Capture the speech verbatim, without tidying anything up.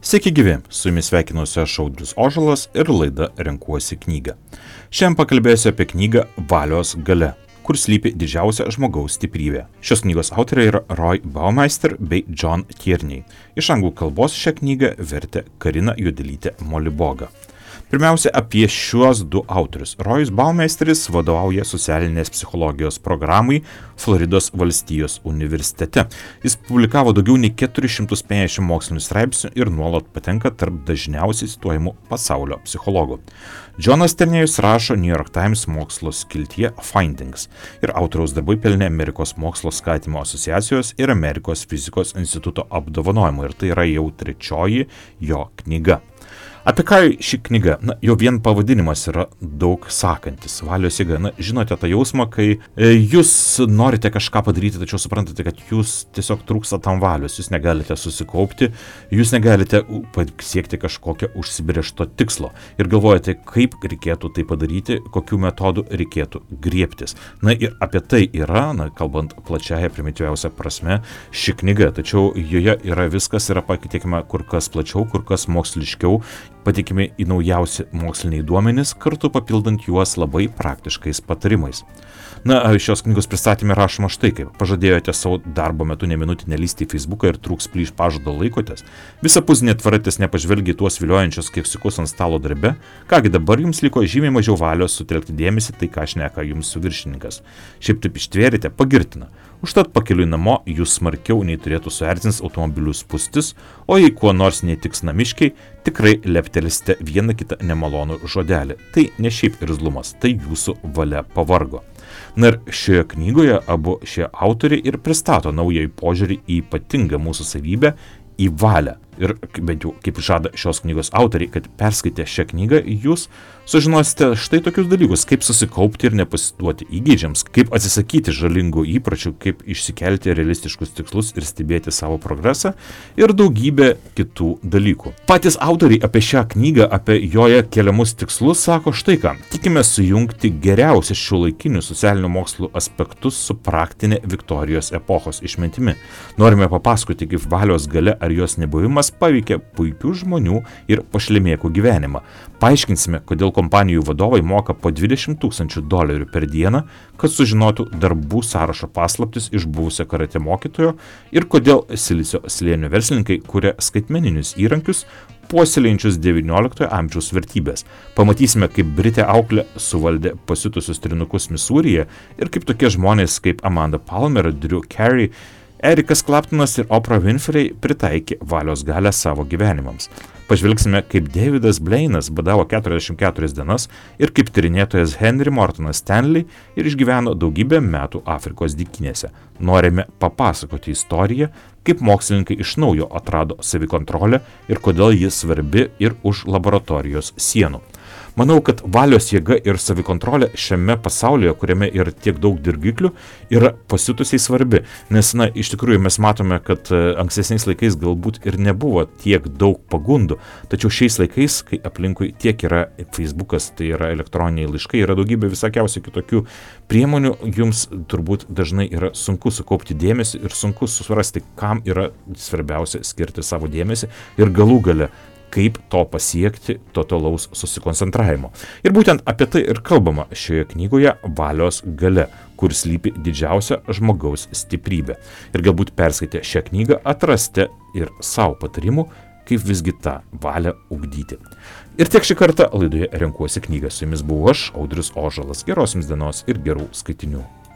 Sveiki gyvi, su jumis sveikinuosi aš Audrius Ožalas ir laida Renkuosi knygą. Šiandien pakalbėsiu apie knygą Valios galia, kur slypi didžiausia žmogaus stiprybė. Šios knygos autoriai yra Roy Baumeister bei John Tierney. Iš anglų kalbos šią knygą vertė Karina Juodelytė Moliboga. Pirmiausia, apie šiuos du autorius. Rojus Baumeisteris vadovauja socialinės psichologijos programai Floridos valstijos universitete. Jis publikavo daugiau nei keturis šimtus penkiasdešimt mokslinių straipsnių ir nuolat patenka tarp dažniausiai cituojamų pasaulio psichologų. Johnas Tierneyus rašo New York Times mokslo skiltyje Findings ir autoriaus darbai pelnė Amerikos mokslo skatinimo asociacijos ir Amerikos fizikos instituto apdovanojimų ir tai yra jau trečioji jo knyga. Apie ką ši knyga? Na, jau vien pavadinimas yra daug sakantis. Valios jėga. Na, žinote tą jausmą, kai e, jūs norite kažką padaryti, tačiau suprantate, kad jūs tiesiog trūksta tam valios, jūs negalite susikaupti, jūs negalite pasiekti kažkokio užsibrėžto tikslo ir galvojate, kaip reikėtų tai padaryti, kokių metodų reikėtų griebtis. Na ir apie tai yra, na, kalbant plačiaja primityviausia prasme, ši knyga, tačiau joje yra viskas, yra patikima kur kas plačiau, kur kas moksliškiau, patikimi į naujausi moksliniai duomenys, kartu papildant juos labai praktiškais patarimais. Na, šios knygos pristatymė rašoma štai kaip. Pažadėjote savo darbo metu ne minutį nelįsti į Facebooką ir trūks plyš pažado laikotės. Visapusinė tvaratės nepažvelgia į tuos viliojančius keksiukus ant stalo darbe. Kągi dabar jums liko žymiai mažiau valios sutelkti dėmesį tai, ką šneka jums viršininkas. Šiaip taip ištvėrite, pagirtina. Užtat pakeliui namo jūs smarkiau nei turėtų suerzins automobilių spūstis, o jei kuo nors netiks namiškiai, tikrai leptelėsite vieną kitą nemalonų žodelį. Tai ne šiaip irzlumas, tai jūsų valia pavargo. Na ir šioje knygoje abu šie autoriai ir pristato naująjį požiūrį į ypatingą mūsų savybę, į valią. Ir bent jau kaip žada šios knygos autoriai, kad perskaitę šią knygą, jūs sužinosite štai tokius dalykus, kaip susikaupti ir nepasiduoti įgeidžiams, kaip atsisakyti žalingų įpročių, kaip išsikelti realistiškus tikslus ir stebėti savo progresą ir daugybę kitų dalykų. Patys autoriai apie šią knygą, apie joje keliamus tikslus sako štai ką. Tikime sujungti geriausius šiuolaikinių socialinių mokslų aspektus su praktinė Viktorijos epochos išmintimi. Norime papasakoti, kaip valios galia ar jos nebuvimas paveikia puikių žmonių ir pašlemėkų gyvenimą. Paaiškinsime, kodėl kompanijų vadovai moka po dvidešimt tūkstančių dolerių per dieną, kad sužinotų darbų sąrašo paslaptis iš buvusio karate mokytojo ir kodėl Silicio slėnio verslininkai kuria skaitmeninius įrankius, puoselėjančius devynioliktojo amžiaus vertybės. Pamatysime, kaip Britė auklė suvaldė pasiutusius trinukus Misūryje ir kaip tokie žmonės kaip Amanda Palmer, Drew Carey, Erikas Claptonas ir Oprah Winfrey pritaikė valios galią savo gyvenimams. Pažvelgsime, kaip Davidas Blainas badavo keturiasdešimt keturias dienas ir kaip tyrinėtojas Henry Mortonas Stanley ir išgyveno daugybę metų Afrikos dykynėse. Norime papasakoti istoriją, kaip mokslininkai iš naujo atrado savikontrolę ir kodėl ji svarbi ir už laboratorijos sienų. Manau, kad valios jėga ir savikontrolė šiame pasaulyje, kuriame yra tiek daug dirgiklių, yra pasitusiai svarbi. Nes, na, iš tikrųjų mes matome, kad ankstesniais laikais galbūt ir nebuvo tiek daug pagundų. Tačiau šiais laikais, kai aplinkui tiek yra Facebookas, tai yra elektroniniai laiškai, yra daugybė visokiausių kitokių priemonių, jums turbūt dažnai yra sunku sukaupti dėmesį ir sunku suprasti, kam yra svarbiausia skirti savo dėmesį ir galų gale, kaip to pasiekti totalaus susikoncentravimo. Ir būtent apie tai ir kalbama šioje knygoje Valios galia, kur slypi didžiausia žmogaus stiprybė. Ir galbūt perskaitę šią knygą atrasite ir savo patarimų, kaip visgi tą valią ugdyti. Ir tiek šį kartą laidoje Renkuosi knygą. Su jumis buvau aš, Audrius Ožalas. Geros jums dienos ir gerų skaitinių.